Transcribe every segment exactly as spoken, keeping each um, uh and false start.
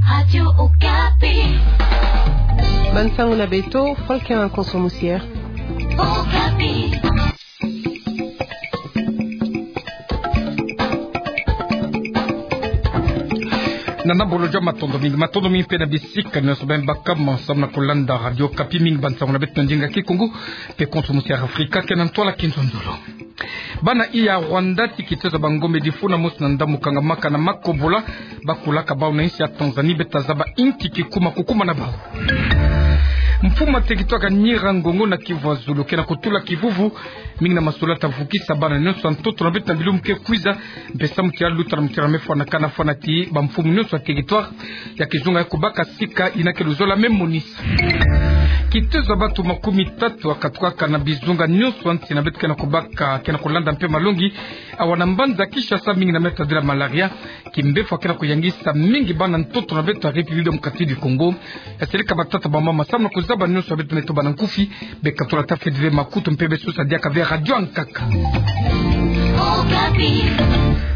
Radio Okapi. Bande sango na beto, Franklin Konso Moussière. Okapi. Na nabolo jama, matondo mingi, matondo mingi mpe na bisika nyonso beno baka ma samu na kolanda Radio Okapi. Mingi bande sango na beto na ndinga Kikongo, mpe Konso Moussière Afrika ke na ntwala Kinzonzolo. Bana iya Rwanda ti kitezo ya bangombe difuna mosi na ndambu kangamaka na makobola, bakulaka bau na insi ya Tanzanie, beta zaba inki kikuma kukuma na bau. Mfumu ya teritware ya Nyiragongo na Kivu ya Zulu ke na kutula kivuvu mingi na masulata vukisa bana nyonso ya ntoto na beto na bilumbu ke kwiza, mpe samu ti aluta na mutira me fwanakana fwana ti bamfumu nyonso ya teritware ya kizunga ya kubaka sika ina ke luzolo me monisa. Kitezo ya bato makumi tatu akatukaka na bizunga nyonso ya nsi na beto ke na kubaka, ke na kulanda mpe malongi awa na mbanza Kinshasa, mingi na me tadila malaria. Kimbefo ke na kuyangisa mingi bana ntoto na beto ya République Démocratique du Congo. Ya seleka batata bamama samu na kuzaba nyonso ya beto na etoba na nkufi, bekatula ta fedile makutu mpe besosa diaka ve radio ankaka.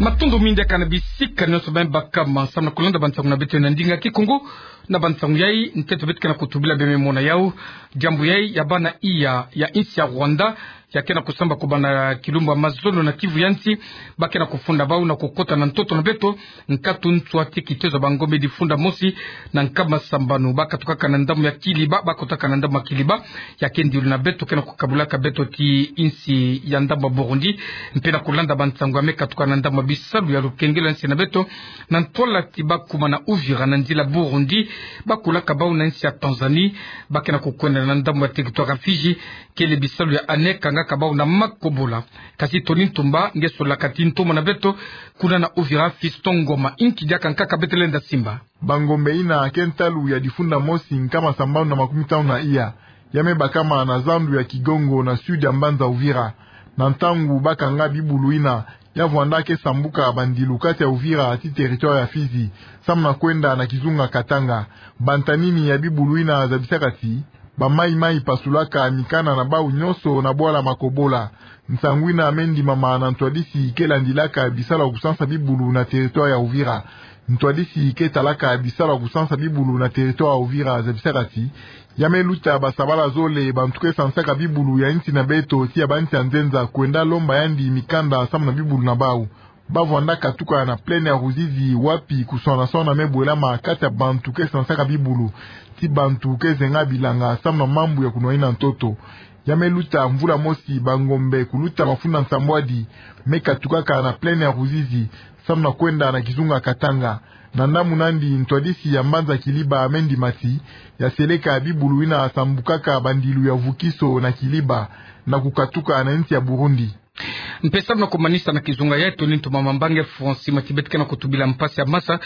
Matondo mingi diaka na bisika nyonso beno baka ma samu na kolanda bande sango na beto na ndinga Kikongo. Na bande sango yai, ntete beto ke na kutubila beno me mona yau. Diambu yai ya bana iya ya insi ya Rwanda ya ke na kusamba kubanda kilumbu ya mazono na Kivu ya nsi, ba ke na kufunda bau na kukota na ntoto na beto, nkatu nswa ti kitezo ya bangombe difunda mosi na nkama sambanu. Bakatukaka na ndambu ya Kiliba, bakotaka na ndambu ya Kiliba, ya ke ndilu na beto ke na kukabulaka beto ti insi ya ndambu ya Burundi, mpe na kulanda bande sango ya me katuka na ndambu ya bisalu ya lukengelo ya nsi na beto, na ntwala ti bakuma na Uvira na nzila Burundi, bakulaka bau na insi ya Tanzanie, ba ke na kukwenda na ndambu ya teritware ya Fidji, kele bisalu ya ANEC kangaka bau na makobola. Kasi Tony Ntumba, nge solaka ti ntomo na beto, kuna na Uvira Fiston Ngoma. Inki diaka nkaka beto lenda simba? Bangombe ina ke ntalu ya difunda mosi nkama sambanu na makumi tanu na iya, ya me bakama na zandu ya Kigongo na sud ya mbanza Uvira. Na ntangu ba kanga bibulu ina, ya vwanda ke sambuka bandilu kati ya Uvira ti teritware ya Fidji, samu na kwenda na kizunga Katanga. Bantanini ya bibulu ina zabisaka ti bamaimai pasulaka mikanda na bau nyonso na bwala makobola. Nsangu ina me ndimama na ntwadisi ke landilaka bisalu ya kusansa bibulu na teritware ya Uvira. Ntwadisi ke talaka bisalu ya kusansa bibulu na teritware ya Uvira zabisaka ti ya me luta basabala zole bantu ke sansaka bibulu ya insi na beto ti ya bansi ya nzenza kwenda lomba yandi mikanda samu na bibulu na bau. Ba vwanda katuka na plaine ya Ruzizi, wapi kuswana-swana me bwelama kati ya bantu ke sansaka bibulu ti bantu ke zenga bilanga samu na mambu ya kunwanina ntoto. Ya me luta mvula mosi, bangombe kuluta mafunda nsambwadi me katukaka na plaine ya Ruzizi samu na kwenda na kizunga Katanga. Na ndambu nandi, ntwadisi ya mbanza Kiliba me ndima ti ya seleka bibulu ina sambukaka bandilu ya vukiso na Kiliba na kukatuka na insi ya Burundi. Mpe samu na kumanisa na kizunga ya Tony Ntumba, mambange Francis Matibet ke na kutubila mpasi ya masa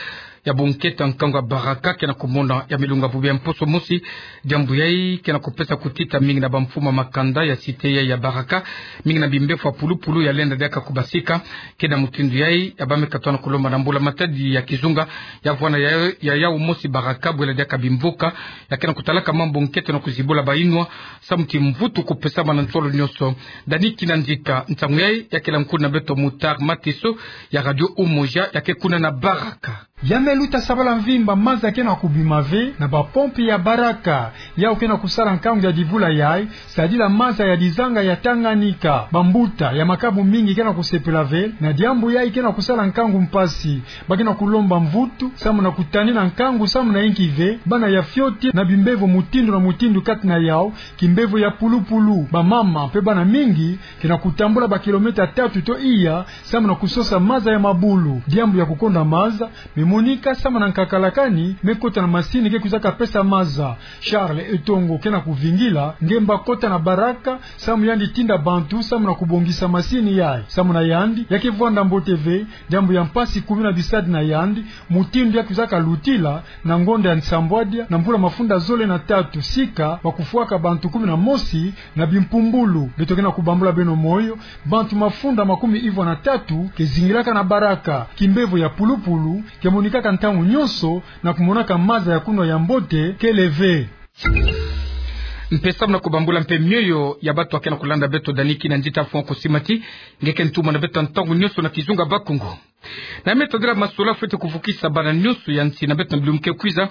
ya bunkete ya nkangu ya baraka ke na kumona ya me lunga bubu ya mposo mosi. Diambu yai ke na kupesa kutita mingi na bamfumu ya makanda ya cité yai ya baraka, mingi na bimbefo ya pulupulu ya lenda diaka kubasika. Ke na mutindu yai, ya ba me katwa na kulomba na mbula-matadi ya kizunga ya vwanda ya, ya yau mosi baraka, bwela diaka bimvuka. Ya ke na kutalaka mambu nkete na kuzibula bayinwa samu ti mvutu kupesama na nsolo nyonso. Dani Kinanzika, nsangu yai ya kela nkulu na beto Mutar Matiso ya Radio Umoja, ya ke kuna na baraka. Ya me luta sabala mvimba, maza ke na kubima ve na bapompe ya baraka. Yau ke na kusala nkangu ya divula yai, sadila maza ya dizanga ya Tanganyika. Bambuta ya makabu mingi ke na kusepela ve na diambu yai ke na kusala nkangu mpasi. Ba ke na kulomba mvutu samu na kutanina nkangu samu na inki ve bana ya fioti na bimbevo mutindu na mutindu kati na yau kimbevo ya pulupulu. Bamama mpe bana mingi ke na kutambula bakilometa tatu to iya samu na kusosa maza ya mabulu. Diambu ya kukonda maza me monika samu na nkakalakani me kota na masini ke kwizaka pesa maza. Charles Etongo ke na kuvingila nge mba kota na baraka samu yandi tinda bantu samu na kubongisa masini yai. Samu na yandi, ya ke vwanda mbote ve diambu ya mpasi kumi na bisadi na yandi, mutindu ya kwizaka lutila na ngonda ya nsambwadia na mvula mafunda zole na tatu, sika ba kufwaka bantu kumi na mosi na bimpumbulu. Beto ke na kubambula beno moyo, bantu mafunda makumi ivwa na tatu ke zingilaka na baraka. Kimbevo ya pulupulu ke monikaka ntangu nyonso na kumonaka maza ya kunwa ya mbote kele ve. Mpe samu na kubambula mpe mioyo ya bato ya ke na kulanda beto, Dani Kinanzita, fwa kusimati. Nge ke ntumwa na beto ntangu nyonso na kizunga Bakongo. Na me tadila masolo fwete kuvukisa bana nyonso ya nsi na beto na bilumbu ke kwiza,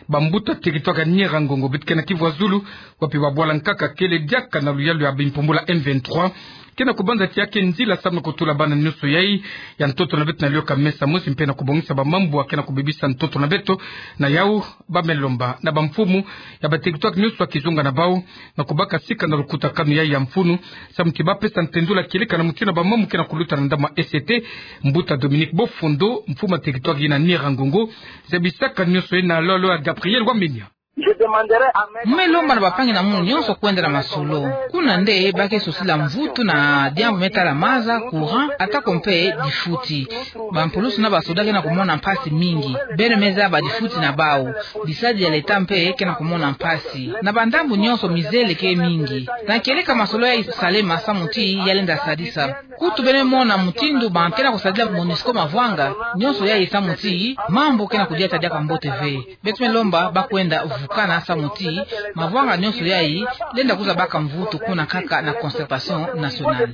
bambuta territoire ya Nyiragongo beto ke na Kivu ya Zulu, wapi babwala nkaka kele diaka na luyalu ya bimpumbulu ya M vingt-trois, ke na kubanza ti ya ke nzila samu na kutula bana nyonso yai ya ntoto na beto na liyoka mesa mosi mpe na kubongisa bamambu ya ke na kubebisa ntoto na beto. Na yau, ba me lomba na bamfumu ya ba territoire nyonso ya kizunga na bau na kubaka sika na lukutakanu yai ya mfunu, samu ti ba pesa ntendula kieleka na mutindu ya bamambu ke na kuluta na ndambu ya E C T. Mbuta Dominique Bofondo, mfumu ya territoire yina Nyiragongo, zabisaka nyonso yai na lolo ya Gabriel Wamenya. Mu me lomba na bampangi na munu nyonso kwenda na masolo. Kuna nde ba ke sosila mvutu na diambu me tala maza, courant, atako mpe difuti. Bampulusu na basoda ke na kumona mpasi mingi. Beno me zaba difuti na bau. Bisadi ya leta mpe ke na kumona mpasi. Na bandambu nyonso mizele ke mingi. Na kieleka masolo yai salema samu ti ya lenda sadisa. Kutu beno mona mutindu ba ke na kusadila MONUSCO mavwanga, nyonso yai samu ti mambu ke na kudiata diaka mbote ve. Beto me lomba ba kwenda vukana samu ti mavwanga nyonso yai lenda kwiza baka mvutu kuna nkaka na concertation nationale.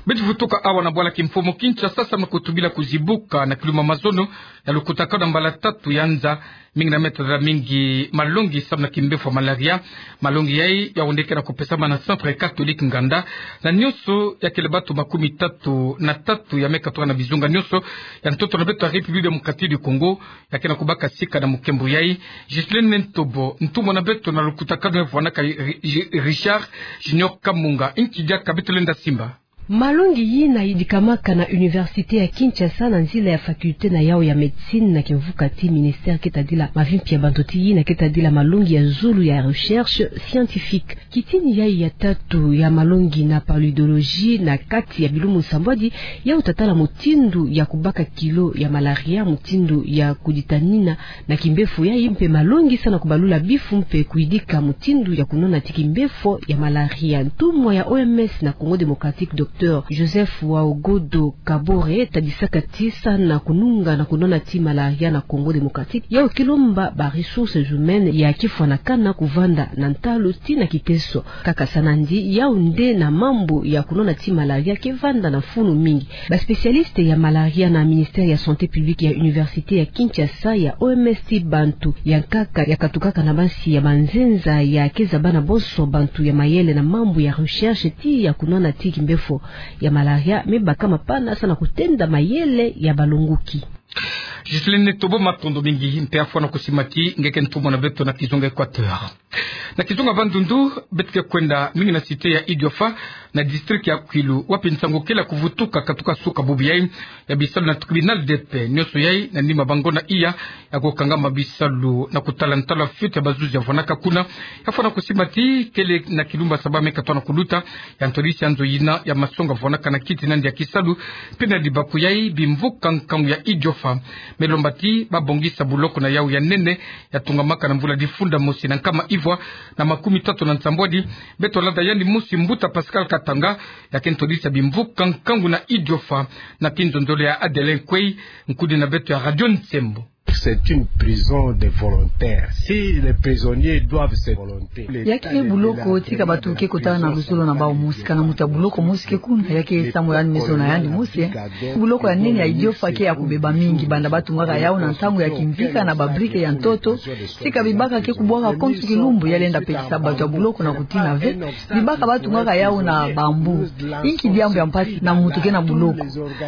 Beto vutuka awa na bwala kimfumu Kinshasa samu na kutubila kuzibuka na kilumbu ya mazono ya lukutakanu ya mbala tatu ya nza, mingi na me tadila mingi malongi samu na kimbefo ya malaria. Malongi yai ya onde ke na kupesama na Centre Catholique Nganda na nyonso ya kele bato makumi tatu na tatu ya me katuka na bizunga nyonso ya ntoto na beto ya République Démocratique du Congo, ya ke na kubaka sika na mukembo yai. Ghislaine Ntobo, ntumwa na beto na lukutakanu ya vwanaka Ri-, Ri-, Richard Junior Kamunga, inki diaka beto lenda simba? Malongi yina yidikamaka na Université ya Kinshasa na nzila ya faculté na yau ya médecine na kimvuka ti ministère ke tadila mavimpi ya bantu ti yina ke tadila malongi ya zulu ya recherche scientifique. Kitini yai ya tatu ya malongi na paludologie na kati ya bilumbu nsambwadi, yau tatala mutindu ya kubaka kilo ya malaria, mutindu ya kuditanina na kimbefo yai mpe malongi samu na kubalula bifu mpe kuyidika mutindu ya kunona ti kimbefo ya malaria. Ntumwa ya O M S na Congo Démocratique, Docteur Joseph Waogodo Kabore, tadisaka ti samu na kununga na kunona ti malaria na Congo Démocratique, yau ke lomba ba ressources humaines ya kifwanakana kuvanda na ntalu tii na kiteso. Kaka samu na ndi, yau nde na mambu ya kunona ti malaria ke vanda na mfunu mingi. Ba spécialistes ya malaria na ministère ya santé publique ya université ya Kinshasa ya O M S tii bantu ya nkaka ya katukaka na basi ya banzenza ya ke zaba na bonso bantu ya mayele na mambu ya recherche tii ya kunona ti kimbefo ya malaria me baka mapana samu na kutenda mayele ya balongoki. Ghislaine Ntobo, matondo mingi mpe afwana kusimati, nge ke ntumwa na beto na kizunga Équateur. Na kizunga Bandundu, beto ke kwenda mingi na cité ya Idiofa, na district ya Kwilu, wapi nsangu kele ya kuvutuka katuka suka bubu yai ya bisalu na tribunal de paix. Nyonso yai na nima ba ngonda iya ya kukangama bisalu na kutala ntalu ya fuite ya bazuzi ya vwanaka kuna. Ya fwana kusimba ti kele na kilumbu ya saba me katoa na kuluta ya ntwadisi ya nzo yina ya masonga vwanaka na kiti na ndi ya kisalu, mpe na libaku yai bimvuka nkangu ya Idiofa me lomba ti ba bongisa buloko na yau ya nene ya tungamaka na mvula difunda mosi na nkama ivwa na makumi tatu na nsambwadi. Beto landa yandi mosi, mbuta Pascal Katanga, ya ke ntwadisi ya bimvuka nkangu na Idiofa, na kinzonzolo ya Adelin Kwei, nkudi na beto ya Radio Nsembo. C'est une prison de volontaires. Si les prisonniers doivent se volontaires. Ya kele buloko tika bato ke kota na luzolo na bau mosi, kana moto ya buloko mosi ke kuna, ya ke samu yandi me zona yandi mosi. Buloko ya nene ya Idiofa ke ya kubeba mingi, banda ba tungaka yau na ntangu ya kimvika na ba briques ya ntoto, tika bibaka ke kubwaka konso kilumbu, ya lenda pekisa bato ya buloko na kutina ve. Bibaka ba tungaka yau na bambou. Inki diambu ya mpasi na moto ke na buloko?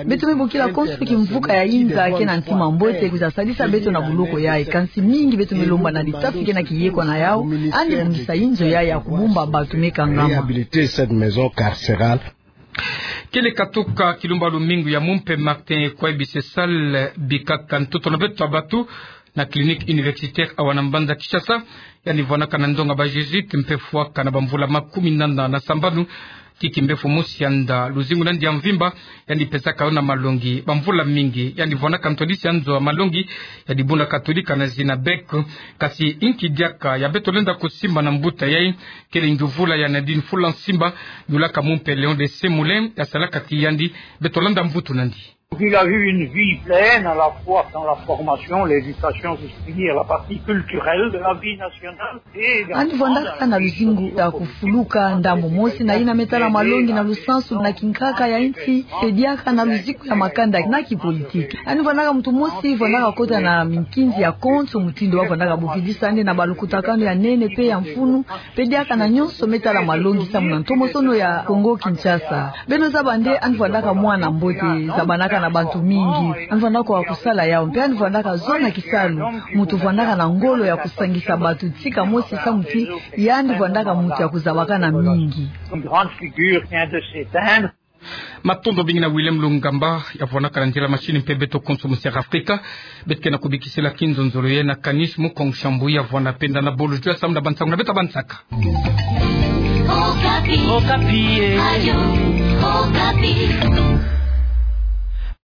Beto me bokila konso kimvuka ya inza ke na ntima mbote kwiza sadisa beto na buloko yai. Kansi mingi beto me lomba na l'État ti ke na kiyekwa na yau, yandi bongisa inzo yai ya kubumba bato me kangama. Réhabiliter cette maison carcérale. Kele katuka kilumbu ya lumingu ya mumpe Martin Kwai Bisesal bikaka ntoto na beto ya bato na clinique universitaire awa na mbanza Kinshasa. Yandi vwanaka na ndonga ba Jésuites mpe fwaka na bamvula makumi nana na sambanu. Ti kimbefo mosi yanda luzingu na ndi ya mvimba, yandi pesaka yo na malongi bamvula mingi. Yandi vwanaka ntwadisi ya nzo ya malongi ya dibundu katolika na zina BEC. Kasi inki diaka ya beto lenda kusimba na mbuta yai, kele ngiuvula ya Nadine Fulansimba, yulaka mumpe Léon de Semoulin, ya salaka ti yandi. Beto landa mvutu na ndi. Il a eu une vie pleine, à la fois dans la formation, l'éducation, c'est-à-dire la partie culturelle de la vie nationale. Ani vwandaka na luzingu ya kufuluka ndambu mosi na yina me tala malongi na lusansu na kinkaka ya nsi, pe diaka na luzingu ya makanda na kipolitiki. Ani vwandaka muntu mosi vwandaka kota na minkinzi ya konso mutindu wa vwandaka bokidisa nde na balukutakanu ya nene pe ya mfunu, pe diaka na nyonso me tala malongi samu na ntomosono ya Kongo Kinshasa. Beno zaba nde ani vwandaka mwana mbote, zabanaka na bantu mingi. Ani vwandaka wa kusala yawu, mpe ani vwandaka zona kisalu. Muntu vwandaka na ngolo ya kusangisa bantu tika mosi samu ti yandi vwandaka muntu ya kuzabakana mingi. Une grande figure vient de s'éteindre. Matondo mingi na Willem Lungamba, ya vwandaka na nzila machine mpe beto konso mu Sierra Africa. Beto ke na kubikisila kinzonzolo ye na Kanis Mukong Shambu ya vwanda penda na bolo jwa samu na bansangu na beto bansaka. Okapi. Okapi, eh. Radio Okapi.